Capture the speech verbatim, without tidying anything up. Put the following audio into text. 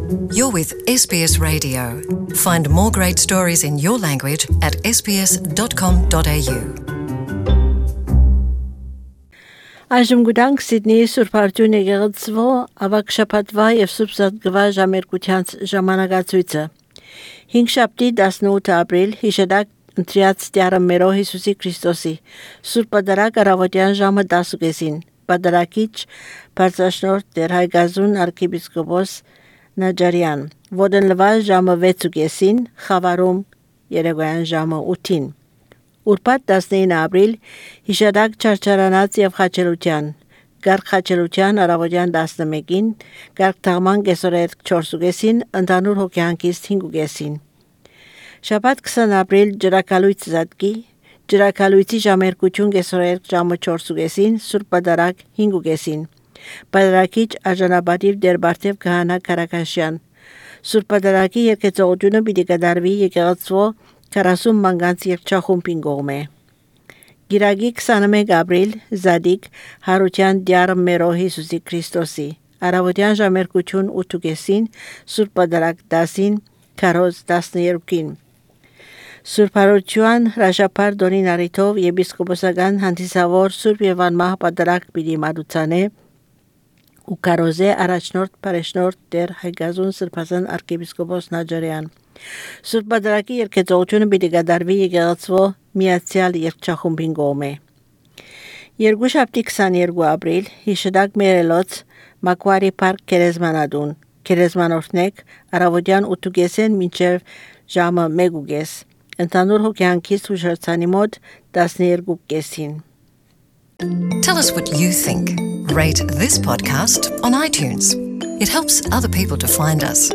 You're with S B S Radio. Find more great stories in your language at s b s dot com dot a u. Այժմ գուտանք Սիդնեի Սուրբ Արտյուն եկեղեցվո ավակ շաբաթվա եւ Սուրբ Զատկվա ժամերկության ժամանակացույցը հինգշաբթի տասնութ ապրիլ հիշադակ ընտրյաց Տյառը մերո Հիսուսի Քրիստոսի Սուրբ Պատարագ առավոտյան ժամը տասուկեսին Պատարագիչ Բարձրաշնորհ Տեր Հայգազուն arczepiskopos Նաջարյան Ոդենլվալ ժամը վեցուկեսին Խավարում երեկոյան ժամը ութին Ուրբաթ տասնինը ապրիլ հիշադակ չարչարանած եւ խաչելության Գարկ խաչելության առավոտյան տասնմեկին Գարկ թաղման կեսօրետ չորսուկեսին ընդհանուր հոգեանքից հինգուկեսին Շաբաթ քսան ապրիլ ջրակալույց զատկի ջրակալույցի ժամերկություն կեսօրետ ժամը չորսուկեսին Սուրբ Պատարագ հինգուկեսին Պատարագիչ արժանապատիվ Տեր Բարթև Քահանա Կարակաշյան Սուրբ Պատարագի երկեցողությունը պիտի կատարվի եկեղեցվո քառասուն մանգանց երկչախումբին կողմէ Գիրագի քսանմեկ ապրիլ Զադիկ Հարության Տյառը մերո Հիսուսի Քրիստոսի Առավոտյան ժամերկություն ութուկեսին Սուրբ Պատարագ դասին քարոզ տասներկին Սուրբ Հարություն հրաշափար Դոնին Արիթով եպիսկոպոսական հանդիսավոր Սուրբ եւ անմահ Պատարագ պիտի մատուցանե ու կարոզե առաջնորդ Փարեշնորդ Տեր Հայգազուն Սրբազան arczepiskopos Նաջարյան Սուրբ Պատարագի երկեցողությունը պիտի կատարվի եկեղեցվո միացյալ երկչախումբին կողմէ Երկուշաբթի քսաներկու ապրիլ հիշադակ մերելոց Մակվարի Փարք Քերեզմանադուն Քերեզմանորդնեք առավոտյան ութուկեսեն մինչև ժամը մեկուկես ընդհանուր հոգեանքից ուշացանի մոտ տասներկու կեսին Tell us what you think. Rate this podcast on iTunes. It helps other people to find us.